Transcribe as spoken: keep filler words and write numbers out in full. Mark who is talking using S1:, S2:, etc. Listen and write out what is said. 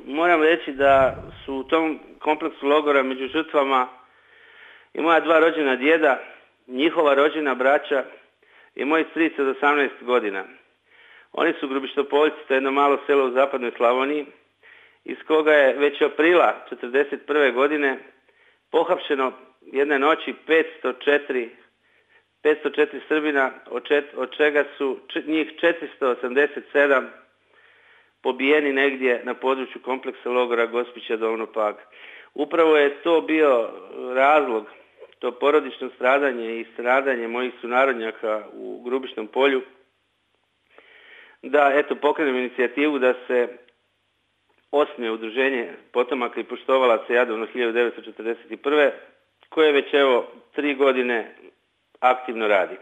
S1: moram reći da su u tom kompleksu logora među žrtvama i moja dva rođena djeda, njihova rođena braća i moj stric od osamnaest godina. Oni su Grubištopoljci, to je jedno malo selo u zapadnoj Slavoniji, iz koga je već aprila četrdeset prve godine pohapšeno jedne noći petsto četiri Srbina, od čega su njih četiristo osamdeset sedam pobijeni negdje na području kompleksa logora Gospića Dolno Pag. Upravo je to bio razlog, to porodično stradanje i stradanje mojih sunarodnjaka u Grubišnom Polju, da eto pokrenem inicijativu da se osnuje udruženje potomaka i poštovalaca Jadovno hiljadu devetsto četrdeset prve koje već evo tri godine aktivno radi.